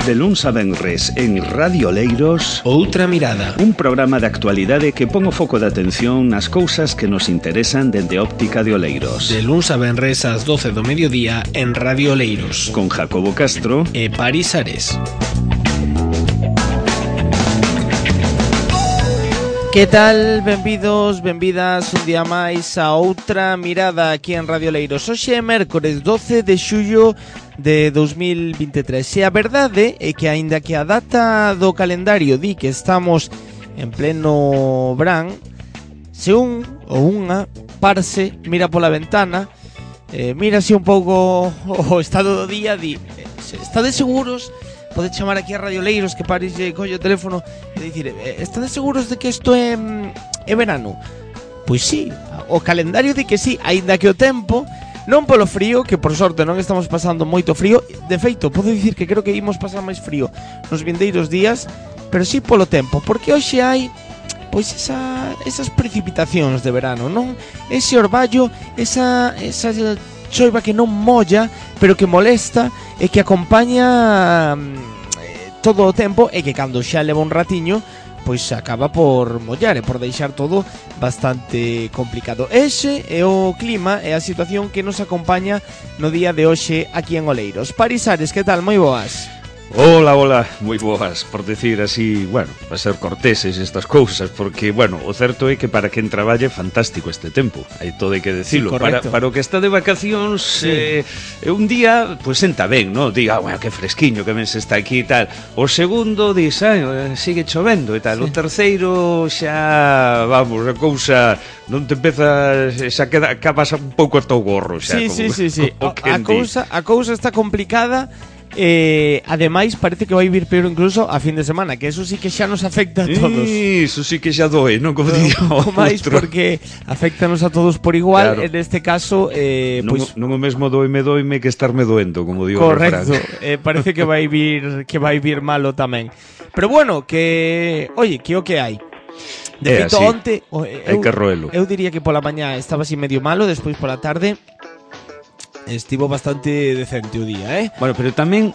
De luns a venres en Radio Oleiros, Outra Mirada, un programa de actualidade que pon o foco de atención nas cousas que nos interesan dende a óptica de Oleiros. de luns a venres ás 12 do mediodía en Radio Oleiros, Con Jacobo Castro e Paris Ares. Que tal? Benvidos, benvidas un día máis a Outra Mirada aquí en Radio Oleiros. Hoxe é mércores 12 de xullo de 2023. E a verdade é que aínda que a data do calendario di que estamos en pleno verán, se un ou unha parse, mira pola ventana, mira así un pouco o estado do día, di, estades seguros? Pode chamar aquí a Radio Oleiros, que Paris lle colle o teléfono e dicir, estades seguros de que isto é verano? Pois sí, o calendario di que sí, aínda que o tempo, non polo frío, que por sorte non estamos pasando moito frío. De feito, podo dicir que creo que imos pasar máis frío nos vindeiros días, pero sí polo tempo, porque hoxe hai pois esas precipitacións de verano, non? Ese orballo, esa choiva que non molla, pero que molesta e que acompaña todo o tempo e que cando xa leva un ratiño pois acaba por mollar e por deixar todo bastante complicado. Ese é o clima e a situación que nos acompaña no día de hoxe aquí en Oleiros. Paris Ares, que tal? Moi boas. Hola, hola, moi boas, por decir así, bueno, para ser corteses estas cousas, porque, bueno, o certo é que para quen traballe fantástico este tempo, hai todo hai que decilo, sí, para o que está de vacacións, sí. Un día, pois senta ben, no? Diga, bueno, que fresquiño que ben se está aquí e tal, o segundo, dis, sigue chovendo e tal, sí. O terceiro xa, vamos, a cousa non te empezas, xa acabas un pouco ata o gorro, xa. Sí, como, sí. A cousa está complicada. Ademais parece que vai vir peor incluso a fin de semana, que eso sí que xa nos afecta a todos. Eso sí que xa doe, non? Como digo, máis porque afectanos a todos por igual, claro. En este caso pois non o mesmo doime que estarme doendo, como digo. Correcto, parece que vai vir malo tamén. Pero bueno, que oye, que o que hai. De feito, onte hai que roelo. Eu diría que pola mañá estaba así medio malo, despois pola tarde estivo bastante decente o día, Bueno, pero tamén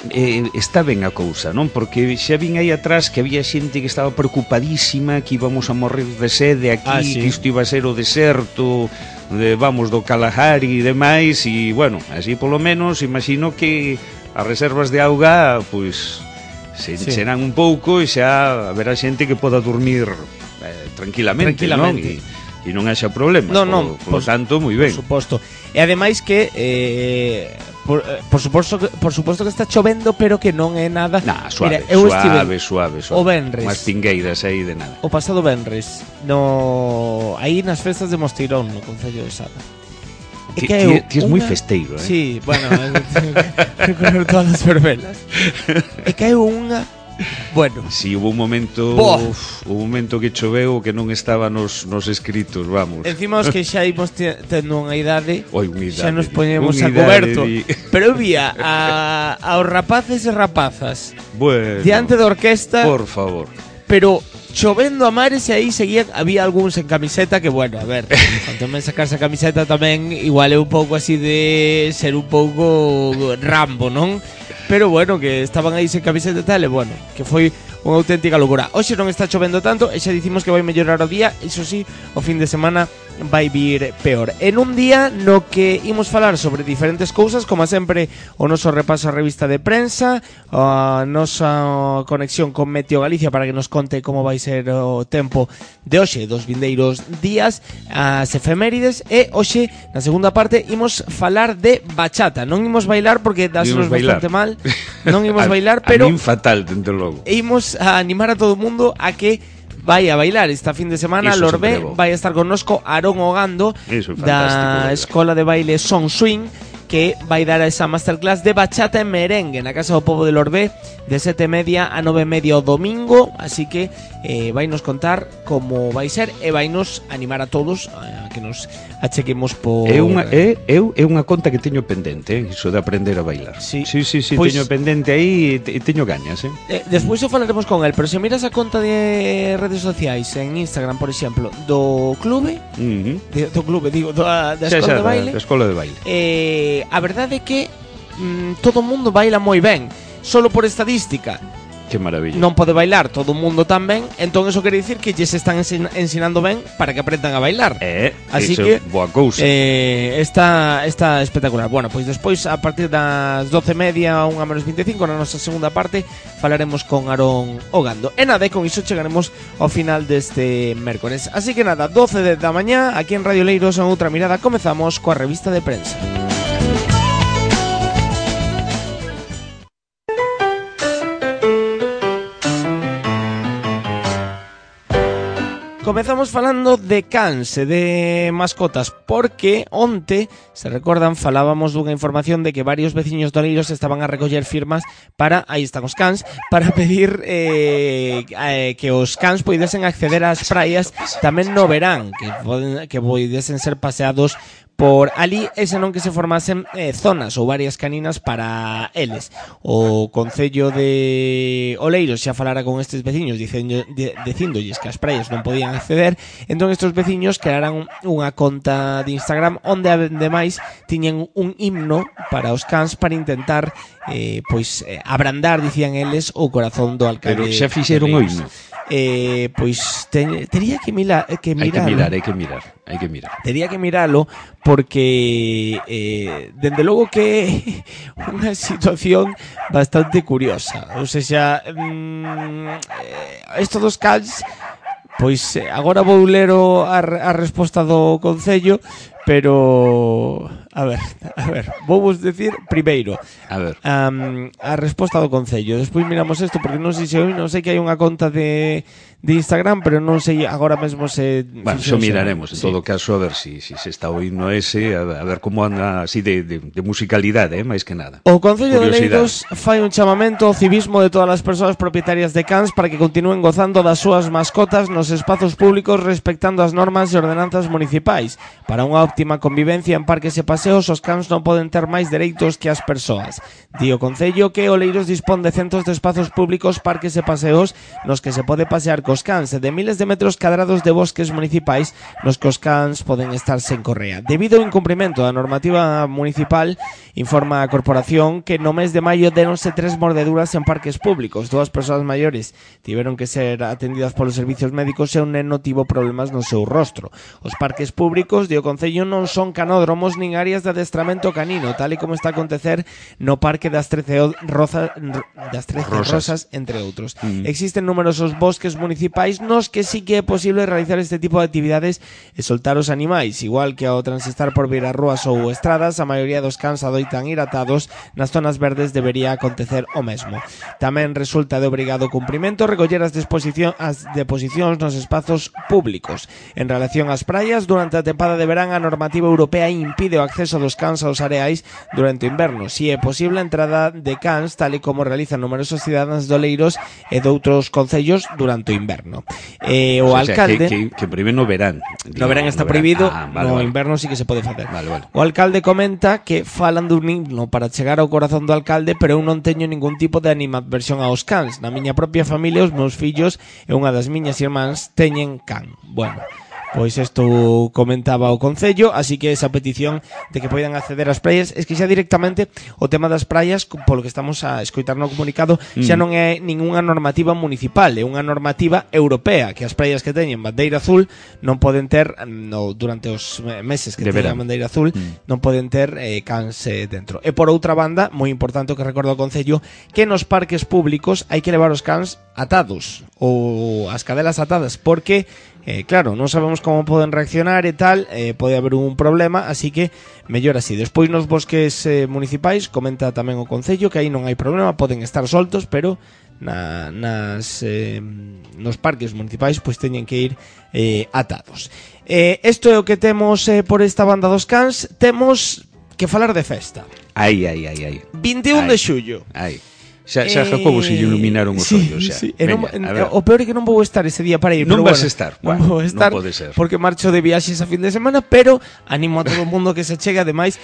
está ben a cousa, non? Porque xa vin aí atrás que había xente que estaba preocupadísima, que íbamos a morrer de sede aquí, sí. Que isto iba a ser o deserto, do Kalahari e demais, e, bueno, así polo menos, imagino que as reservas de auga, pois, se encherán un pouco e xa haberá xente que poda dormir tranquilamente. Non? E non haxa problema. Por tanto, moi ben. Por suposto. E ademais que por suposto que está chovendo, pero que non é nada. Suave. O venres. Unhas pingueiras aí de nada. O pasado venres, aí nas festas de Mosteirón, no Concello de Sada. Ti és moi festeiro, Sí, bueno, recorrer todas as verbelas. E caeu unha. Bueno, si hubo un momento que choveu que non estaba nos escritos, vamos. Encima os que xa imos tendo unha idade, xa nos poñemos a coberto. Pero vía aos rapaces e rapazas, bueno, diante da orquesta, por favor. Pero chovendo a mares e aí había algúns en camiseta que, bueno, a ver, tamén sacarse a camiseta tamén igual é un pouco así de ser un pouco Rambo, non? Pero bueno, que estaban aí sen camiseta e tal, e bueno, que foi unha auténtica locura. Hoxe non está chovendo tanto e xa dicimos que vai mellorar o día, iso sí, o fin de semana vai vir peor. En un día no que imos falar sobre diferentes cousas, como sempre o noso repaso a revista de prensa, a nosa conexión con Meteo Galicia para que nos conte como vai ser o tempo de hoxe, dos vindeiros días, as efemérides, e hoxe, na segunda parte, imos falar de bachata. Non imos bailar porque dásenos bastante mal, non imos bailar, pero a min fatal, dentro logo. Imos a animar a todo o mundo a que vai a bailar esta fin de semana. Lorbé vai a estar connosco Aarón Ogando da Escola de Baile Son Swing, que vai dar esa masterclass de bachata e merengue na Casa do Pobo de Lorbé de 7:30 a 9:30 o domingo, así que vai nos contar como vai ser e vai nos animar a todos a que nos achequemos por... É unha conta que teño pendente, iso de aprender a bailar. Sí, pues, teño pendente aí e teño gañas, Despois o falaremos con el, pero se miras a conta de redes sociais en Instagram, por exemplo, do clube, da Escola de Baile. Da Escola de Baile. A verdade é que todo o mundo baila moi ben. solo por estadística Que maravilla. non pode bailar todo o mundo tan ben, entón eso quere dicir que lles están ensinando ben para que aprendan a bailar. Así que boa cousa. está espectacular. Bueno, pois despois a partir das 12:30 a 1:25 na nosa segunda parte falaremos con Aarón Ogando. E nada, con iso chegaremos ao final deste mércores. Así que nada, 12 da mañá aquí en Radio Leiros en Outra Mirada comezamos coa revista de prensa. Comezamos falando de cans e de mascotas, porque onte, se recordan, falábamos dunha información de que varios veciños de Oleiros estaban a recoller firmas para, aí están os cans, para pedir que os cans poidesen acceder ás praias tamén no verán, que poidesen ser paseados por ali, e senón que se formasen zonas ou varias caninas para eles. O Concello de Oleiros xa falara con estes veciños dicíndolles que as praias non podían acceder, entón estes veciños crearan unha conta de Instagram onde ademais tiñen un himno para os cans para intentar abrandar, dicían eles, o corazón do alcalde. Pero xa fixeron o himno. Pois tería que mirar. Hai que mirar. Tería que miralo porque dende logo que unha situación bastante curiosa. Ou seja, isto dos cans, pois agora vou ler a resposta do Concello, pero a ver, vou vos decir primeiro a resposta do Concello, despois miramos isto porque non sei que hai unha conta de Instagram, pero non sei agora mesmo se... Bueno, xo miraremos, en todo caso, a ver se está o himno ese, a ver como anda así de musicalidade, máis que nada. O Concello de Oleiros fai un chamamento ao civismo de todas as persoas propietarias de cans para que continúen gozando das súas mascotas nos espazos públicos respectando as normas e ordenanzas municipais. Para unha óptima convivencia en parques e paseos, os cans non poden ter máis dereitos que as persoas. Di o Concello que Oleiros dispón de centos de espazos públicos, parques e paseos nos que se pode pasear cos cans e de miles de metros cadrados de bosques municipais nos que os cans poden estar sen correa. Debido ao incumprimento da normativa municipal, informa a corporación que no mes de maio deronse 3 mordeduras en parques públicos. 2 persoas maiores tiveron que ser atendidas polos servicios médicos e un neno tivo problemas no seu rostro. Os parques públicos, di o Concello, non son canódromos nin áreas de adestramento canino, tal e como está a acontecer no Parque das 13 Rosas, entre outros. Existen numerosos bosques municipais nos que sí que é posible realizar este tipo de actividades e soltar os animais, igual que ao transistar por viras rúas ou estradas, a maioría dos cans adoitan ir atados, nas zonas verdes debería acontecer o mesmo. Tamén resulta de obrigado cumprimento recoller as deposicións nos espazos públicos. En relación ás praias, durante a tempada de verán a normativa europea impide o acceso dos cans aos areais durante o inverno. Si é posible a entrada de cans, tal e como realizan numerosos cidadáns de Oleiros e de outros concellos durante o inverno. O alcalde... Que prohíbe no verán. No verán está prohibido, no inverno sí que se pode facer. O alcalde comenta que falan dun himno para chegar ao corazón do alcalde, pero eu non teño ningún tipo de animadversión aos cans. Na miña propia familia, os meus fillos e unha das miñas irmáns teñen can. Bueno, pois isto comentaba o Concello, así que esa petición de que poidan acceder ás praias, es que xa directamente o tema das praias, polo que estamos a escoitar no comunicado, xa non é ningunha normativa municipal, é unha normativa europea, que as praias que teñen bandeira azul non poden ter, durante os meses que teñen bandeira azul, non poden ter cans dentro. E por outra banda, moi importante o que recorda o Concello, que nos parques públicos hai que levar os cans atados, ou as cadelas atadas, porque claro, non sabemos como poden reaccionar e tal, pode haber un problema, así que mellor así. Despois nos bosques municipais, comenta tamén o Concello que aí non hai problema, poden estar soltos, pero nos parques municipais pois teñen que ir atados. Isto é o que temos por esta banda dos cans. Temos que falar de festa. 21 de xullo. Xa Jacobo se iluminaron os ollos xa. Sí. O peor é que non vou estar ese día para ir. Non vas estar. Non vou estar non pode ser. porque marcho de viaxes a fin de semana, pero animo a todo o mundo que se chegue. Ademais,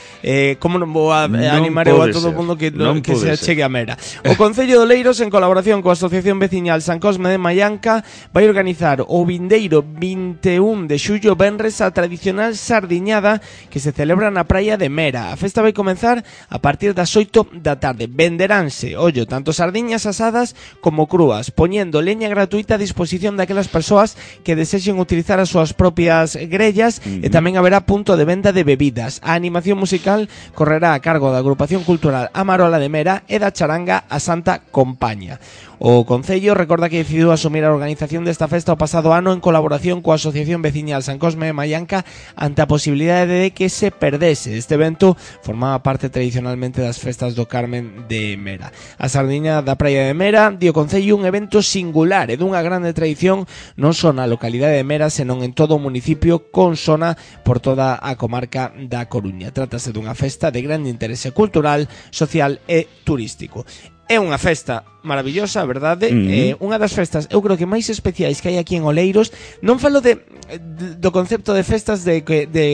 como non vou a animar eu a todo o mundo que se chegue a Mera. O Concello de Oleiros, en colaboración coa Asociación Veciñal San Cosme de Maianca, vai organizar o vindeiro 21 de xullo venres a tradicional sardiñada que se celebra na praia de Mera. A festa vai comenzar a partir das 8 da tarde. Venderánse, ollo, tanto sardiñas asadas como crúas, poniendo leña gratuita a disposición daquelas persoas que desexen utilizar as súas propias grellas e tamén haberá punto de venda de bebidas. A animación musical correrá a cargo da Agrupación Cultural Amarola de Mera e da charanga A Santa Compaña. O Concello recorda que decidiu asumir a organización desta festa o pasado ano en colaboración coa Asociación Veciñal San Cosme de Mallanca ante a posibilidade de que se perdese. Este evento formaba parte tradicionalmente das festas do Carmen de Mera. A sardiña da Praia de Mera di o Concello un evento singular e dunha grande tradición non só na localidade de Mera, senón en todo o municipio con sona por toda a comarca da Coruña. Trátase dunha festa de grande interese cultural, social e turístico. É unha festa maravillosa, verdade? Unha das festas, eu creo que máis especiais que hai aquí en Oleiros. Non falo do concepto de festas de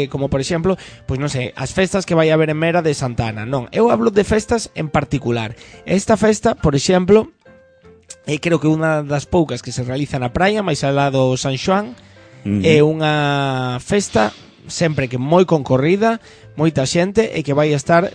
como por exemplo, pois non sei, as festas que vai haber en Mera de Santa Ana. Non, eu hablo de festas en particular. Esta festa, por exemplo, creo que unha das poucas que se realiza na praia, máis alá do San Xoán, é unha festa sempre que moi concorrida, moita xente e que vai estar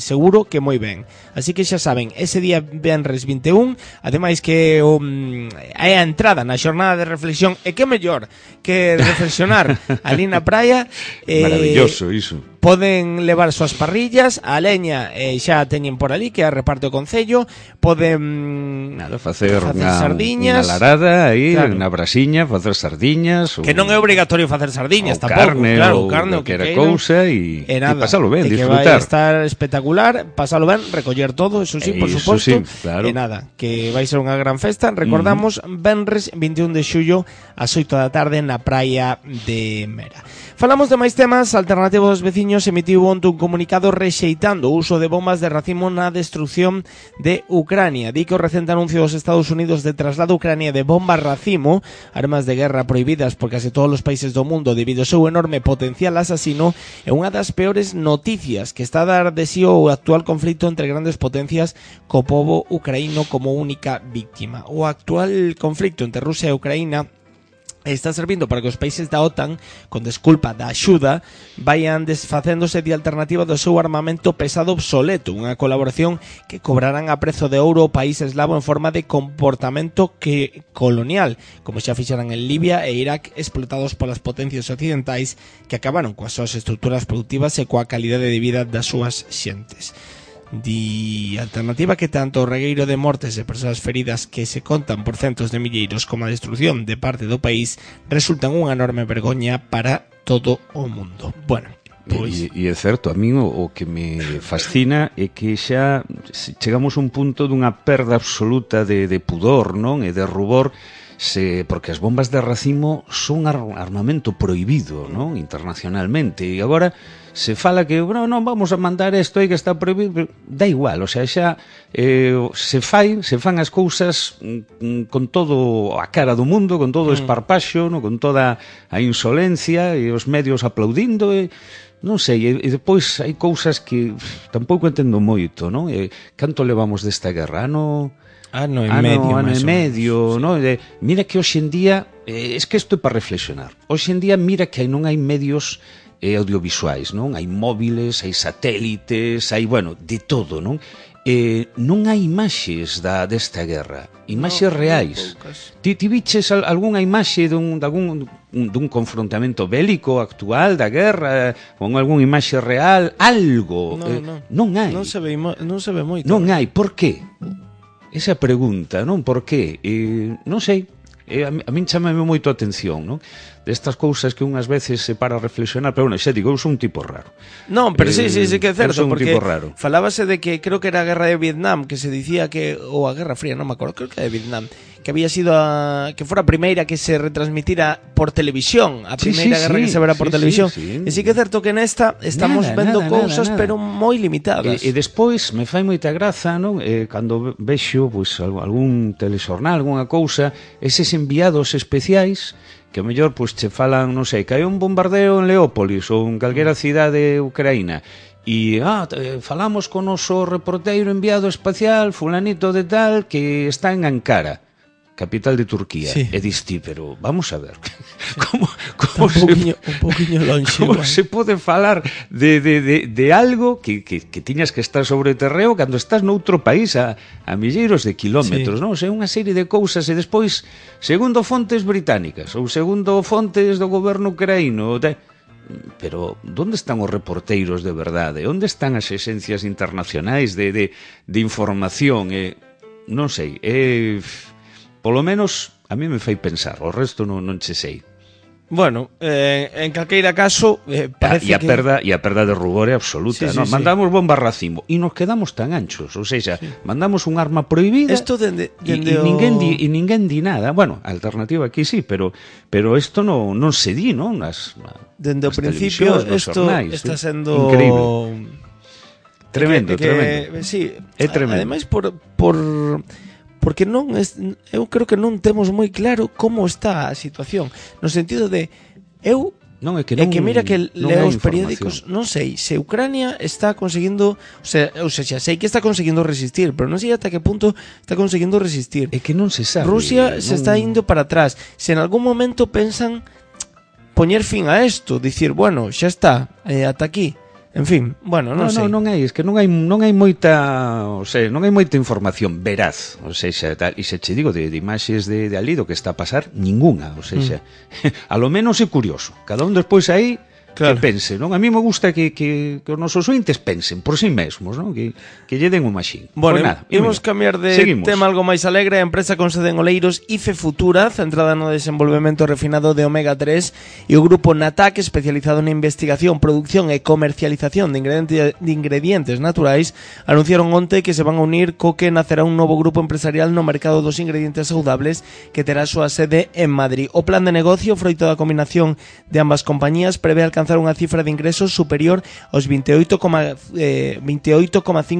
seguro que moi ben. Así que xa saben, ese día venres 21, ademais que é a entrada na xornada de reflexión, e que mellor que reflexionar ali na praia. Maravilloso iso. Poden levar súas parrillas, a leña xa teñen por ali, que a reparte o Concello. Poden facer sardiñas, unha larada aí, claro, na brasiña, facer sardiñas, que non é obrigatorio facer sardiñas tampouco, carne, claro, carne o que era cousa e pasalo ben, disfrutar. Que vai estar espectacular, pasalo ben, recoller todo, eso sí, por suposto. Sí, claro. E nada, que vai ser unha gran festa. Recordamos, venres 21 de xullo ás 8 da tarde na praia de Mera. Falamos de máis temas. Alternativo dos Veciños emitiu onte un comunicado rexeitando o uso de bombas de racimo na destrucción de Ucrania. Di que o recente anuncio dos Estados Unidos de traslado a Ucrania de bombas racimo, armas de guerra prohibidas por case todos os países do mundo debido ao seu enorme potencial asasino, é unha das peores noticias que está a dar de sí o actual conflito entre grandes potencias co pobo ucraíno como única víctima. O actual conflito entre Rusia e Ucraína está servindo para que os países da OTAN, con desculpa da axuda, vayan desfacéndose de alternativa do seu armamento pesado obsoleto, unha colaboración que cobrarán a prezo de ouro o país eslavo en forma de comportamento colonial, como xa fixeran en Libia e Irak, explotados polas potencias occidentais que acabaron coas súas estruturas productivas e coa calidade de vida das súas xentes. Di alternativa que tanto o regueiro de mortes e persoas feridas que se contan por centos de milleiros como a destrucción de parte do país resultan unha enorme vergoña para todo o mundo. Bueno, pois... E é certo, a mí o que me fascina é que xa chegamos a un punto dunha perda absoluta de pudor, non? E de rubor, porque as bombas de racimo son armamento prohibido, non? Internacionalmente, e agora se fala que non vamos a mandar isto aí que está prohibido, da igual, o sea, xa se fan as cousas con todo a cara do mundo, con todo o esparpaxo, no? Con toda a insolencia e os medios aplaudindo, e non sei, e depois hai cousas que tampouco entendo moito, non? Canto levamos desta guerra? Ano e medio, ¿no? Mira que hoxe en día, es que isto é para reflexionar. Hoxe en día mira que non hai medios audiovisuais, non? Hai móviles, hai satélites, hai, bueno, de todo, non? Non hai imaxes desta guerra, imaxes reais. Ti viches algunha imaxe dun confrontamento bélico actual da guerra, con algunha imaxe real, algo? Non hai. Non se ve moito. Non hai, por qué? Esa pregunta, non? Por qué? Non sei. A min chámame moito a atención, non? Destas cousas que unhas veces se para a reflexionar, pero bueno, xa digo, eu son un tipo raro. Non, pero sí que é certo, porque tipo raro. Falábase de que creo que era a guerra de Vietnam, que se dicía que, ou a Guerra Fría, non me acordo, creo que era de Vietnam, que había sido que fora a primeira que se retransmitira por televisión, a primeira guerra que se verá por televisión. E sí que é certo que nesta estamos vendo cousas, pero moi limitadas. E despois me fai moita graza, non? Cando vexo algún telexornal, algunha cousa, eses enviados especiais que ao mellor che falan, non sei, que hai un bombardeo en Leópolis ou en calquera cidade ucraína e falamos con o noso reporteiro enviado espacial fulanito de tal que está en Ankara, capital de Turquía. E diste, pero vamos a ver, como un poquinho longe. Como se pode falar de algo que tiñas que estar sobre o terreo cando estás noutro país a milleiros de kilómetros, non? É unha serie de cousas e despois, segundo fontes británicas ou segundo fontes do goberno ucraíno, pero onde están os reporteiros de verdade? Onde están as axencias internacionais de información? Non sei, polo menos a mí me fai pensar, o resto non che sei. Bueno, en calqueira caso parece que... E a perda de rubor é absoluta, non? Mandamos bomba racimo e nos quedamos tan anchos, ou seja, mandamos un arma prohibida e ninguén di nada. Bueno, a alternativa aquí sí, pero isto non se di, non? Dende o principio isto está sendo increíble. Tremendo. Sí, é tremendo. Ademais porque eu creo que non temos moi claro como está a situación, no sentido de mira que leo os periódicos, non sei se Ucrania está conseguindo, ou seja, sei que está conseguindo resistir, pero non sei ata que punto está conseguindo resistir. É que non se sabe. Rusia se está indo para atrás. Se en algún momento pensan poñer fin a isto, dicir, bueno, xa está, ata aquí. En fin, bueno, non sei. Non hai, es que non hai moita, o sea, non hai moita información veraz, o sea, e se che digo de imaxes de ali do que está a pasar, ningunha, o sea, a lo menos é curioso. Cada un despois aí que pense, non? A mí me gusta que os nosos ointes pensen por si mesmos, non? Que lle den un maxín. Bueno, pues nada, imos cambiar de tema algo máis alegre. A empresa con sede en Oleiros, IFE Futura, centrada no desenvolvemento refinado de omega 3, e o grupo Natac, especializado na investigación, producción e comercialización de ingredientes naturais, anunciaron onte que se van a unir co que nacerá un novo grupo empresarial no mercado dos ingredientes saudables que terá a súa sede en Madrid. O plan de negocio, froito da combinación de ambas compañías, prevé alcanzar unha cifra de ingresos superior aos 28,5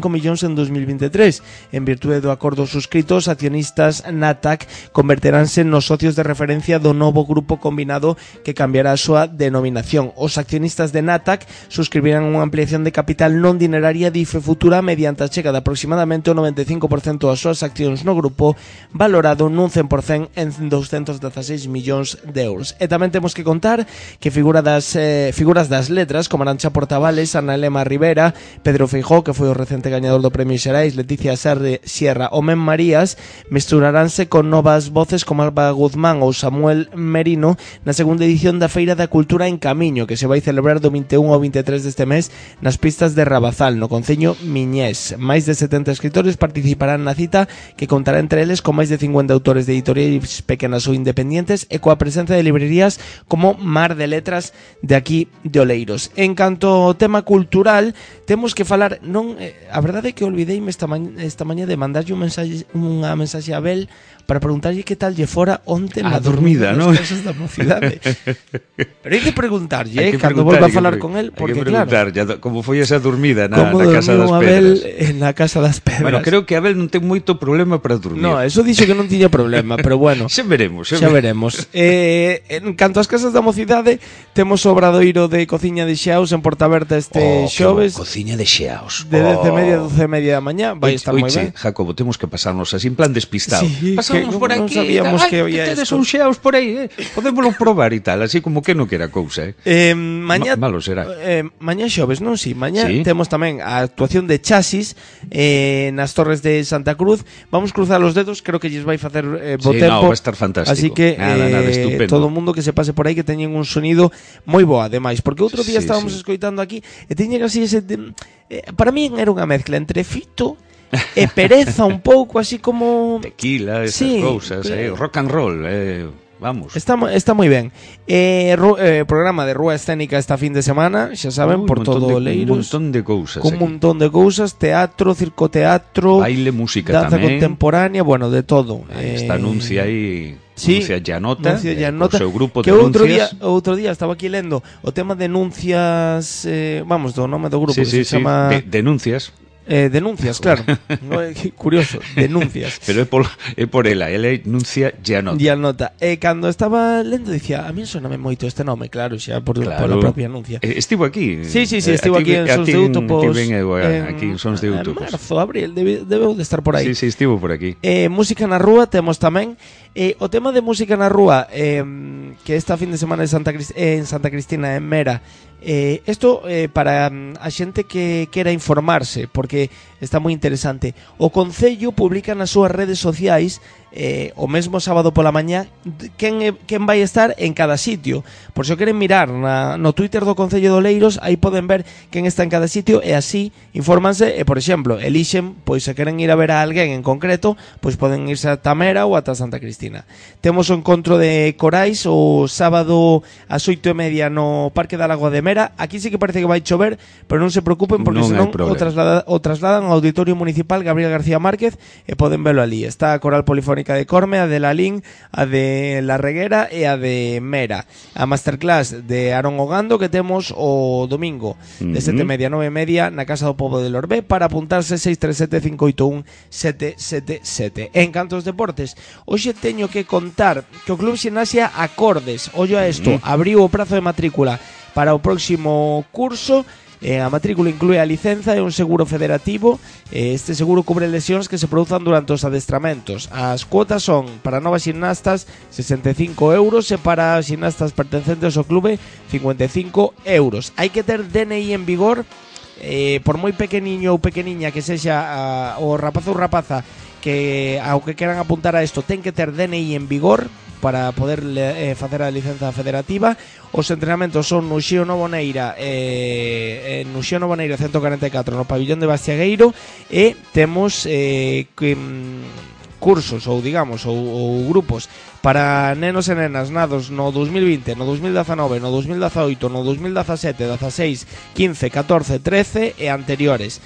millóns en 2023. En virtude do acordo suscrito, os accionistas Natac converteránse nos socios de referencia do novo grupo combinado que cambiará a súa denominación. Os accionistas de Natac suscribirán unha ampliación de capital non dineraria de IFE Futura mediante a chega de aproximadamente o 95% das súas accións no grupo, valorado nun 100% en 216 millóns de euros. E tamén temos que contar que figuras das letras como Arantxa Portavales, Ana Elena Rivera, Pedro Feijóo, que foi o recente gañador do Premio Xerais, Leticia Sierra ou Men Marías, mesturaránse con novas voces como Alba Guzmán ou Samuel Merino na segunda edición da Feira da Cultura en Camiño, que se vai celebrar do 21 ao 23 deste mes nas pistas de Rabazal, no concello Miñés. Máis de 70 escritores participarán na cita, que contará entre eles con máis de 50 autores de editoriais pequenas ou independientes e coa presencia de librerías como Mar de Letras de aquí de Oleiros. En canto ao tema cultural, temos que falar, a verdade é que olvideime esta mañá de mandarlle unha mensaxe a Abel para preguntarlle que tal lle fora onte na dormida, non? Casas da mocidade. Pero hai que preguntarlle, cando volva a falar con el, porque claro, como foi esa dormida na Casa das Pedras. Na Casa das Pedras. Bueno, creo que Abel non ten moito problema para dormir. No, eso dixo que non tiña problema, pero bueno. Xa veremos. En canto ás Casas da Mocidade, temos o obradoiro de Cociña de Xeaos en Portaberta este xoves. Cociña de Xeaos. De 10:30 a 12:30 da mañá, vai estar moi ben. Jacobo, temos que pasarnos así en plan despistado. Pasamos por aquí. Non sabíamos que había isto. Tedes un Xeaos por aí, podémoslo probar e tal, así como que non quera cousa, Mañá malo será. Mañá xoves, non? Si, mañá temos tamén a actuación de Chasis nas Torres de Santa Cruz. Vamos cruzar os dedos, creo que lles vai facer bo tempo. Va a estar fantástico. Así que todo o mundo que se pase por aí que teñen un sonido moi bo, ademais, porque outro día estábamos escoitando aquí e teñen así ese para mí era unha mezcla entre fito e pereza un pouco, así como tequila, esas cousas, rock and roll, vamos. Está moi ben. Programa de rúa escénica esta fin de semana, xa saben, por todo Oleiros. Un montón de cousas. Un montón de cousas, teatro, circoteatro, baile, música danza tamén, contemporánea, bueno, de todo. Esta anuncia aí, Nuncia Llanota, o seu grupo de Nuncias. Outro día estaba aquí lendo o tema de Nuncias, vamos, do nome do grupo, que se chama Denuncias. Denuncias, claro. No, curioso, denuncias. Pero é por ela enuncia Gianota. Gianota. Cando estaba lendo dicía, a mí soname moito este nome, claro, xa pola propia anuncia. Estivo aquí. Sí, estivo aquí en Sons de Utopos. Aquí en Sons de Utopos. En marzo, abril, debeu de estar por aí. Sí, estivo por aquí. Música na rúa temos tamén. O tema de música na rúa, que esta fin de semana en Santa Cristina, en Mera, isto para a xente que quera informarse, porque está moi interesante. O Concello publica nas súas redes sociais o mesmo sábado pola mañá quen vai estar en cada sitio. Por se o queren mirar no Twitter do Concello de Oleiros, aí poden ver quen está en cada sitio e así infórmanse. Por exemplo, elixen, pois se queren ir a ver a alguén en concreto, pois poden irse a Tamera ou ata Santa Cristina. Temos o encontro de corais o sábado ás 8:30 no Parque da Lagoa de Mera. Aquí sí que parece que vai chover, pero non se preocupen porque senón o trasladan ao Auditorio Municipal Gabriel García Márquez e poden velo ali. Está a Coral Polifónica de Corme, a de Lalín, a de La Reguera e a de Mera. A masterclass de Aaron Ogando que temos o domingo de 7:30 a 9:30 na Casa do Pobo de Lorbé. Para apuntarse 637-581-777. En canto aos deportes, hoxe teño que contar que o Club Ximnasia Acordes, ollo a isto, abriu o prazo de matrícula para o próximo curso. A matrícula inclúe a licenza e un seguro federativo. Este seguro cubre lesións que se produzan durante os adestramentos. As cuotas son para novas ximnastas 65 euros e para ximnastas pertencentes ao clube 55 euros. Hai que ter DNI en vigor, por moi pequeniño ou pequeniña que sexa o rapaz ou rapaza que ao que queran apuntar a isto, ten que ter DNI en vigor para poder facer a licenza federativa. Os entrenamentos son no Xío Novoneira, no Xío Novoneira 144 no pabillón de Bastiagueiro, e temos cursos ou digamos ou grupos para nenos e nenas nados no 2020, no 2019, no 2018, no 2017, 16, 15, 14, 13 e anteriores.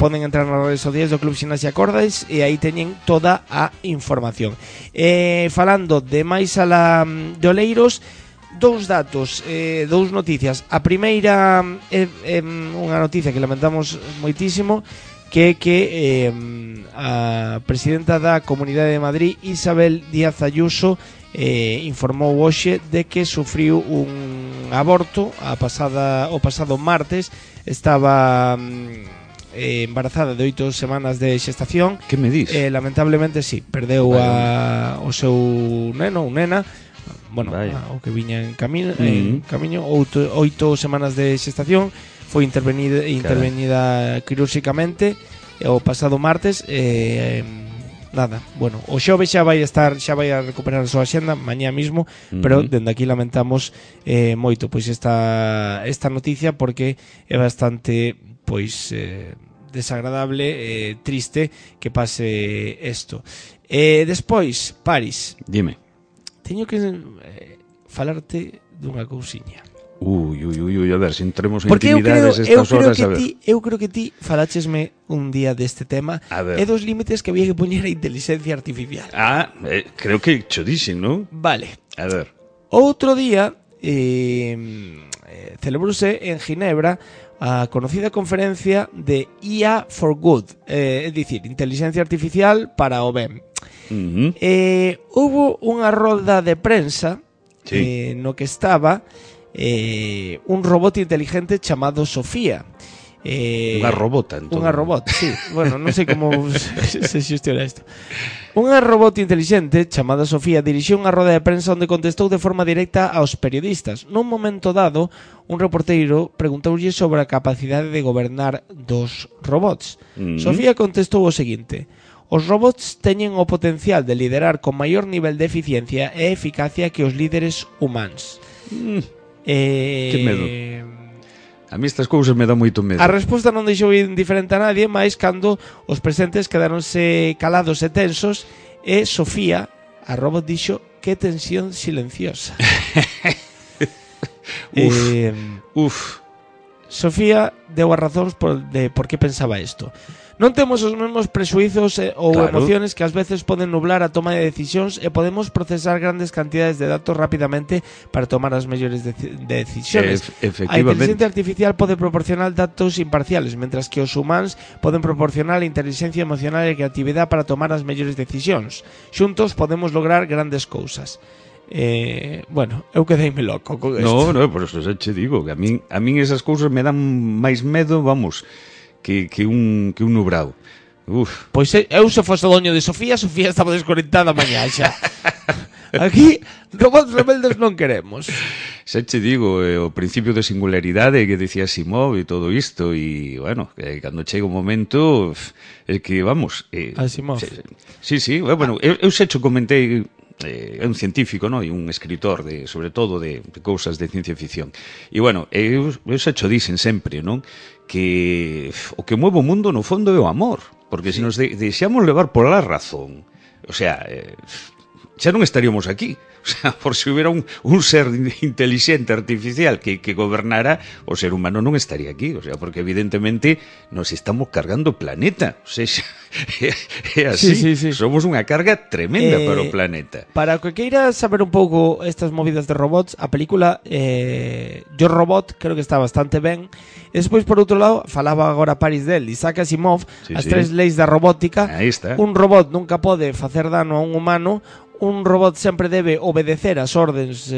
Poden entrar nas redes sociais do Club Ximnasia Acordes e aí teñen toda a información. Falando de máis ala de Oleiros, dous datos, dous noticias. A primeira é unha noticia que lamentamos moitísimo, que a presidenta da Comunidade de Madrid, Isabel Díaz Ayuso, informou hoxe de que sufriu un aborto o pasado martes. Estaba embarazada de 8 semanas de xestación. Que me dis? Lamentablemente sí, perdeu o seu neno ou nena, bueno, o que viña en camiño, 8 semanas de xestación. Foi intervenida quirúrxicamente o pasado martes. Nada, bueno, o xoves xa vai a recuperar a súa xenda mañá mismo, pero dende aquí lamentamos moito pois esta noticia, porque é bastante pois desagradable, triste que pase isto. Despois, Paris, dime. Teño que falarte dunha cousiña. Ui, a ver, se entremos en intimidades estas horas, a ver. Eu creo que ti falachesme un día deste tema e dos límites que había que poñer a inteligencia artificial. Creo que cho dixen, non? Vale. A ver. Outro día celebrouse en Ginebra a conocida conferencia de IA for Good, é dicir, inteligencia artificial para o ben. Hubo unha rolda de prensa no que estaba un robot inteligente chamado Sofía. Unha robota, entón. Unha robot, sí. Bueno, non sei como se xestiona isto. Unha robot inteligente chamada Sofía dirixiu unha roda de prensa onde contestou de forma directa aos periodistas. Nun momento dado, un reporteiro preguntoulle sobre a capacidade de gobernar dos robots. Sofía contestou o seguinte: os robots teñen o potencial de liderar con maior nivel de eficiencia e eficacia que os líderes humanos. Que medo. A mí estas cousas me dá moito medo. A resposta non deixou indiferente a nadie, máis cando os presentes quedaronse calados e tensos, e Sofía, a robot, dixo: que tensión silenciosa. Sofía deu as razóns de por que pensaba isto. Non temos os mesmos prexuizos ou emociones que ás veces poden nublar a toma de decisións e podemos procesar grandes cantidades de datos rapidamente para tomar as mellores decisiones. A inteligencia artificial pode proporcionar datos imparciales, mentras que os humanos poden proporcionar a inteligencia emocional e creatividade para tomar as mellores decisións. Xuntos podemos lograr grandes cousas. Bueno, eu quedeime loco con isto. No, por eso xa che digo que a min esas cousas me dan máis medo, vamos, que un nubrado. Pois eu se fose doño de Sofía estaba desconectada mañá xa. Aquí robots rebeldes non queremos. Xa che digo, o principio de singularidade que decía Asimov e todo isto, e, bueno, cando chega o momento, é que, vamos... Asimov. Sí, bueno, eu xa cho comentei, é un científico, no? E un escritor, sobre todo, de cousas de ciencia ficción. E, bueno, eu xa cho dixen sempre, non? Que o que mueve o mundo, no fondo, é o amor. Porque se nos deixamos levar pola razón, o sea... xa non estaríamos aquí. O sea, por se hubiera un ser inteligente artificial que gobernara, o ser humano non estaría aquí. O sea, porque evidentemente nos estamos cargando o planeta. O sea, é así. Sí. Somos unha carga tremenda para o planeta. Para o que queira saber un pouco estas movidas de robots, a película Yo Robot creo que está bastante ben. E despois, por outro lado, falaba agora Paris del Isaac Asimov, as tres leis da robótica. Aí está. Un robot nunca pode facer dano a un humano. Un robot sempre debe obedecer as ordes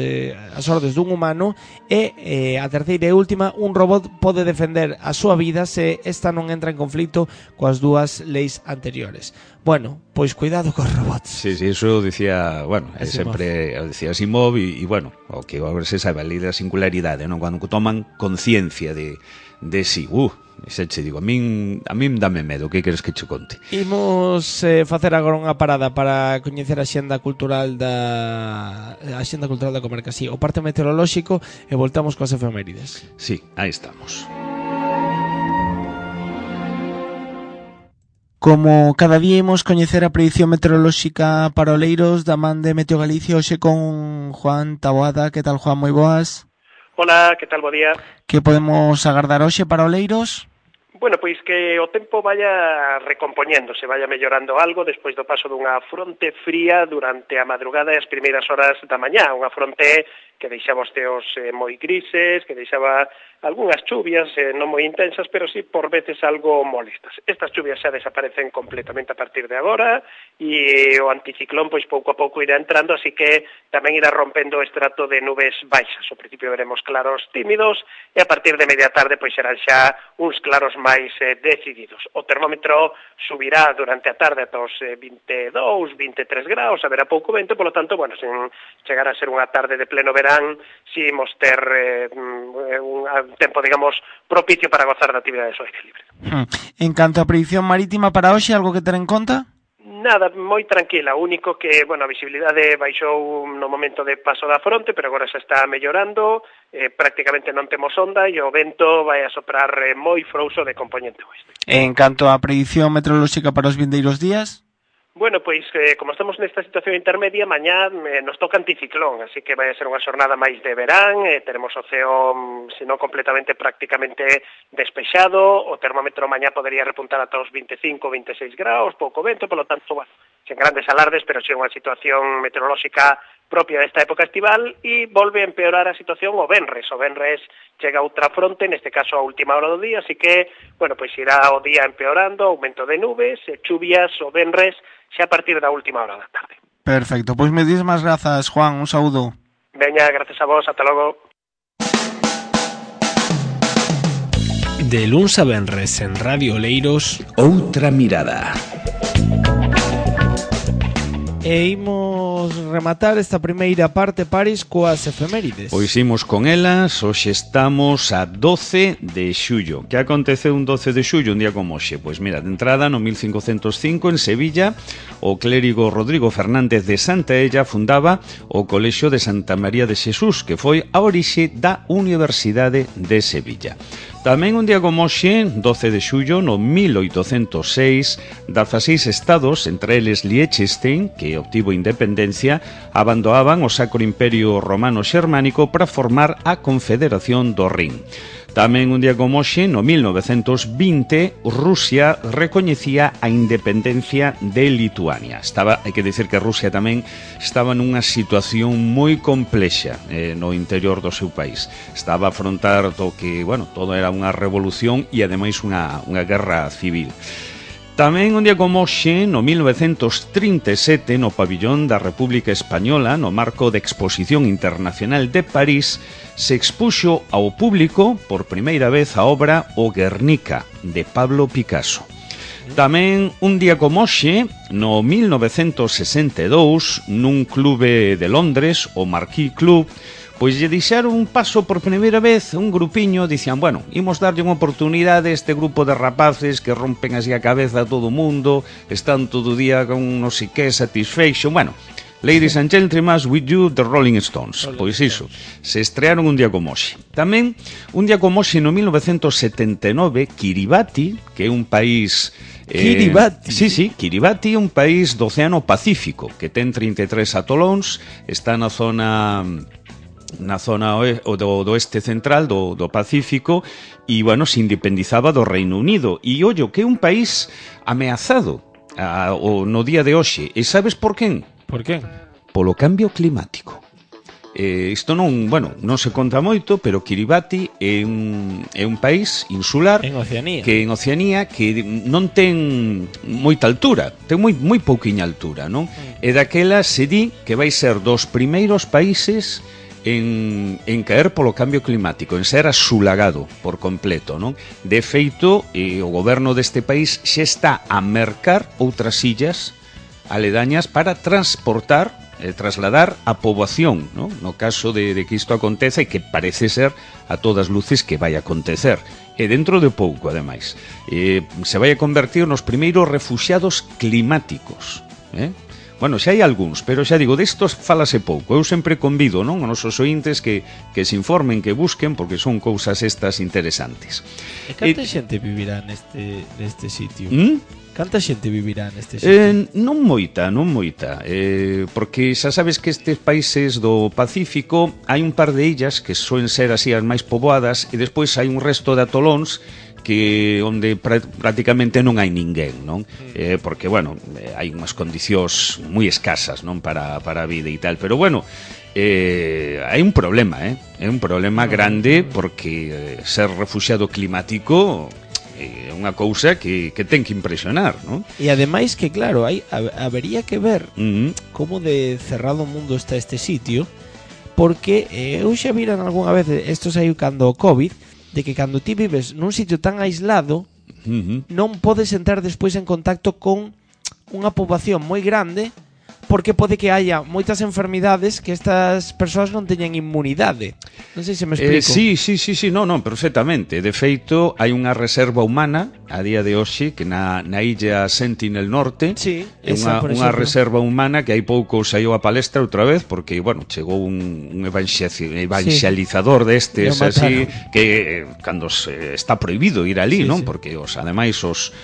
dun humano e a terceira e última, un robot pode defender a súa vida se esta non entra en conflito coas dúas leis anteriores. Bueno, pois cuidado cos robots. Sí, eso decía, bueno, Asimov. Sempre decía Asimov e bueno, o que agora se sabe a lei da singularidade, non? Cando toman conciencia de si, xa che digo, a min dame medo, que queres que che conte? Imos facer agora unha parada para coñecer a xenda cultural da comarca, sí, o parte meteorolóxico, e voltamos coas efemérides. Sí, aí estamos. Como cada día imos coñecer a predición meteorolóxica para Oleiros da man de Meteo Galicia, hoxe con Juan Taboada. Que tal, Juan? Moi boas. Hola, que tal, bo día. Que podemos agardar hoxe para Oleiros? Bueno, pois que o tempo vaya recompoñéndose, vaya mellorando algo despois do paso dunha fronte fría durante a madrugada e as primeiras horas da mañá, unha fronte que deixaba os teos moi grises, que deixaba algunhas chuvias non moi intensas, pero sí por veces algo molestas. Estas chuvias xa desaparecen completamente a partir de agora e o anticiclón pois pouco a pouco irá entrando, así que tamén irá rompendo o estrato de nubes baixas. Ao principio veremos claros tímidos e a partir de media tarde pois serán xa uns claros máis decididos. O termómetro subirá durante a tarde ata os 22, 23 graus, haberá pouco vento, polo tanto, bueno, sen chegar a ser unha tarde de pleno verán, si imos ter un tempo, digamos, propicio para gozar da actividade ao aire libre. En canto a predicción marítima para hoxe, algo que ter en conta? Nada, moi tranquila, o único que, bueno, a visibilidade baixou no momento de paso da fronte, pero agora xa está mellorando, prácticamente non temos onda e o vento vai a soprar moi frouxo de componente oeste. En canto a predicción meteorolóxica para os vindeiros días? Bueno, pois, como estamos nesta situación intermedia, mañá nos toca anticiclón, así que vai a ser unha xornada máis de verán, teremos o ceo, se non completamente, prácticamente despexado, o termómetro mañá podería repuntar ata os 25, 26 graus, pouco vento, polo tanto, bueno, sen grandes alardes, pero sí unha situación meteorolóxica propia desta época estival e volve a empeorar a situación o venres. O venres chega outra fronte, neste caso a última hora do día, así que, bueno, pois irá o día empeorando, aumento de nubes, chuvias o venres, xa a partir da última hora da tarde. Perfecto, pois me dis máis grazas, Juan, un saúdo. Veña, gracias a vos, ata logo. De luns a venres en Radio Oleiros, Outra Mirada. E imos rematar esta primeira parte, Paris, coas efemérides. Pois imos con elas, hoxe estamos a 12 de xullo. Que aconteceu un 12 de xullo, un día como hoxe? Pois mira, de entrada, no 1505, en Sevilla, o clérigo Rodrigo Fernández de Santaella fundaba o Colexio de Santa María de Xesús, que foi a orixe da Universidade de Sevilla. Tamén un día como hoxe, 12 de xullo, no 1806, 16 estados, entre eles Liechtenstein, que obtivo independencia independencia, abandonaban o Sacro Imperio Romano Xermánico para formar a Confederación do Rin. Tamén un día como hoxe, no 1920, Rusia recoñecía a independencia de Lituania. Hai que dicir que Rusia tamén estaba nunha situación moi complexa no interior do seu país. Estaba a afrontar todo era unha revolución e ademais unha guerra civil. Tamén un día como hoxe, no 1937, no pabillón da República Española, no marco da Exposición Internacional de París, se expuxo ao público por primeira vez a obra O Guernica, de Pablo Picasso. Tamén un día como hoxe, no 1962, nun clube de Londres, o Marquee Club, pois lle deixaron un paso por primeira vez un grupiño, dicían, bueno, imos darlle unha oportunidade a este grupo de rapaces que rompen así a cabeza a todo o mundo, están todo o día con non sei que satisfaction, bueno, ladies and gentlemen, with you, the Rolling Stones. Pois iso, se estrearon un día como hoxe. Tamén, un día como hoxe, no 1979, Kiribati, que é un país... Kiribati? Sí, Kiribati é un país do Océano Pacífico, que ten 33 atolóns, está na zona do oeste central do Pacífico e, bueno, se independizaba do Reino Unido. E, ollo, que é un país ameazado no día de hoxe. E sabes por quen? Por quen? Polo cambio climático. Isto non se conta moito, pero Kiribati é un país insular en Oceanía que non ten moita altura, ten moi pouquiña altura, non? E daquela se di que vai ser dos primeiros países en caer polo cambio climático, en ser asulagado por completo, non? De feito, o goberno deste país xa está a mercar outras illas aledañas para trasladar a poboación, non? No caso de que isto acontece, que parece ser a todas luces que vai acontecer. E dentro de pouco, ademais, se vai a convertir nos primeiros refuxiados climáticos, Bueno, xa hai algúns, pero xa digo, destos falase pouco. Eu sempre convido, non, aos nosos ointes que se informen, que busquen, porque son cousas estas interesantes. E canta xente vivirá neste sitio? Canta xente vivirá neste sitio? Non moita, porque xa sabes que estes países do Pacífico hai un par de illas que soen ser así as máis poboadas e despois hai un resto de atolóns que onde prácticamente non hai ninguén, non? Porque, bueno, hai unhas condicións moi escasas, non, para a vida e tal, pero, bueno, hai un problema, é un problema grande porque ser refuxiado climático é unha cousa que ten que impresionar, non? E ademais que, claro, habería que ver como de cerrado o mundo está este sitio, porque eu xa viran algunha vez, isto saiu cando o COVID, de que cando ti vives nun sitio tan aislado non podes entrar despois en contacto con unha poboación moi grande, porque pode que haya moitas enfermidades que estas persoas non teñen inmunidade. Non sei se me explico. Sí, non, perfectamente. De feito, hai unha reserva humana a día de hoxe que na illa Sentinel Norte, sí, é unha reserva humana que hai pouco saiu a palestra outra vez porque, bueno, chegou un evangelizador destes así que cando está prohibido ir ali, non? Porque ademais os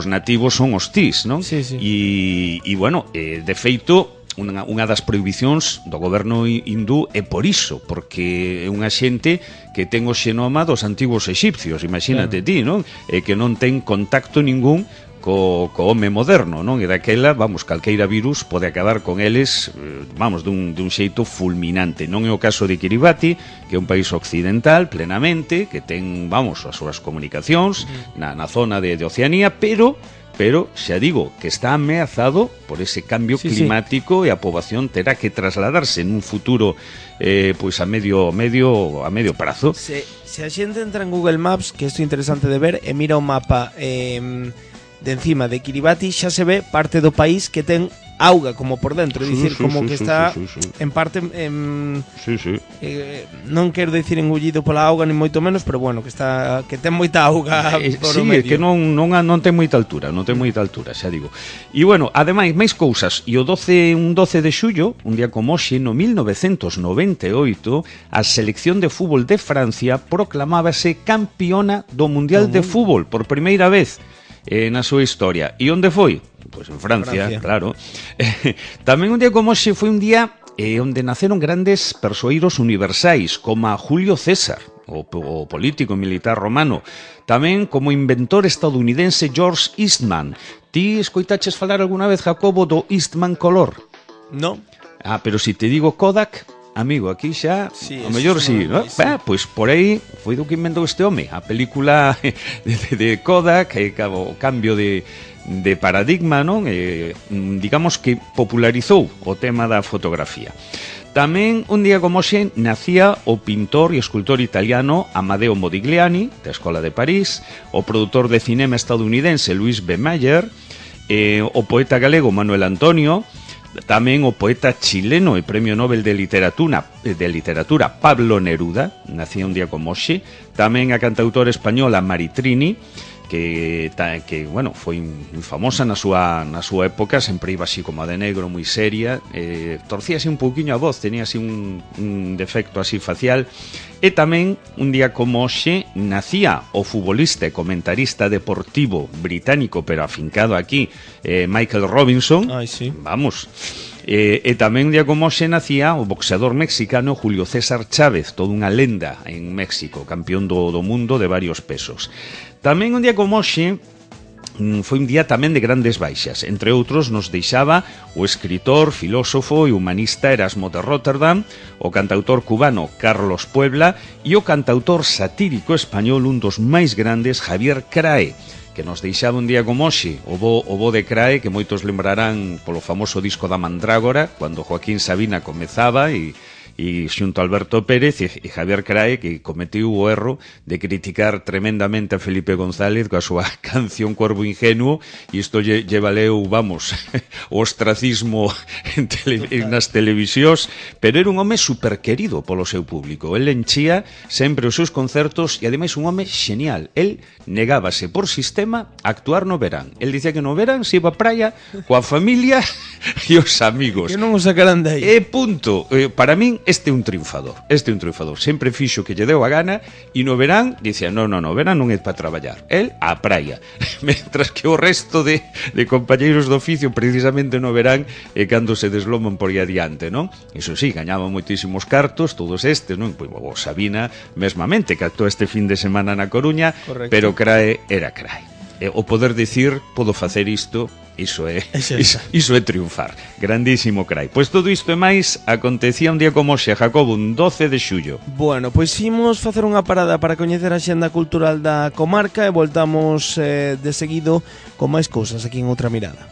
nativos son hostís, non? Sí. E bueno, de feito, unha das prohibicións do goberno hindú é por iso, porque é unha xente que ten o xenoma dos antigos exipcios, imagínate ti, non? E que non ten contacto ningún co home moderno, non? E daquela, calqueira virus pode acabar con eles, dun xeito fulminante. Non é o caso de Kiribati, que é un país occidental, plenamente, que ten, as súas comunicacións na zona de Oceanía, pero xa digo que está ameazado por ese cambio climático e a poboación terá que trasladarse nun futuro pois a medio prazo. Se a xente entra en Google Maps, que isto é interesante de ver, e mira o mapa de encima de Kiribati, xa se ve parte do país que ten auga como por dentro, é dicir, como que está en parte non quero dicir engullido pola auga, nin moito menos, pero bueno, que ten moita auga por o medio. Que non ten moita altura, xa digo. E bueno, ademais, máis cousas, e un 12 de xullo, un día como hoxe, no 1998, a selección de fútbol de Francia proclamábase campeona do Mundial de Fútbol por primeira vez na súa historia. E onde foi? Pois en Francia, claro. Tamén un día como hoxe foi un día onde naceron grandes persoeiros universais, como a Julio César, o político militar romano. Tamén como inventor estadounidense George Eastman. Ti escoitaches falar alguna vez, Jacobo, do Eastman Color? No. Ah, pero si te digo Kodak, amigo, aquí xa, sí, o mellor sí, ¿no? Sí. Pois por aí foi do que inventou este home, a película de Kodak, o cambio de paradigma, non? Digamos que popularizou o tema da fotografía. Tamén, un día como hoxe, nacía o pintor e escultor italiano Amadeo Modigliani, da Escola de París, o produtor de cinema estadounidense Louis B. Mayer, o poeta galego Manuel Antonio, tamén o poeta chileno e Premio Nobel de Literatura Pablo Neruda, nacía un día como hoxe, tamén a cantautora española Maritrini, que bueno, foi moi famosa na súa época, sempre iba así como a de negro, moi seria, torcía así un pouquiño a voz, tenía así un defecto así facial. E tamén, un día como hoxe, nacía o futbolista e comentarista deportivo británico, pero afincado aquí, Michael Robinson. Ai, sí. Vamos. E tamén un día como hoxe nacía o boxeador mexicano Julio César Chávez, toda unha lenda en México, campeón do mundo de varios pesos. Tamén un día como hoxe foi un día tamén de grandes baixas. Entre outros nos deixaba o escritor, filósofo e humanista Erasmo de Rotterdam, o cantautor cubano Carlos Puebla e o cantautor satírico español, un dos máis grandes, Javier Crae, que nos deixaba un día como hoxe, o bo de Crae, que moitos lembrarán polo famoso disco da Mandrágora, cando Joaquín Sabina comezaba e xunto a Alberto Pérez e Javier Crae, que cometiu o erro de criticar tremendamente a Felipe González coa súa canción Corvo Ingenuo, e isto lle valeu, vamos, o ostracismo nas televisións, pero era un home superquerido polo seu público. El enchía sempre os seus concertos e ademais un home genial. El negábase por sistema a actuar no verán. El dicía que no verán se iba a praia coa familia e os amigos. Que non o sacarán de aí. E punto. Para min este é un triunfador. Sempre fixo que lle deu a gana e no verán dicía, no, verán non é para traballar. El á praia. Mentras que o resto de compañeiros do oficio precisamente no verán cando se desloman por aí adiante, non? Iso sí, gañaban moitísimos cartos, todos estes, non? Pois o Sabina mesmamente, que actuou este fin de semana na Coruña. Correcto. Pero Crae era Crae. O poder dicir, podo facer isto, iso é triunfar. Grandísimo Crae. Pois todo isto e máis acontecía un día como hoxe, Jacobo, un 12 de xullo. Bueno, pois imos facer unha parada para coñecer a xenda cultural da comarca e voltamos de seguido con máis cousas aquí en Outra Mirada.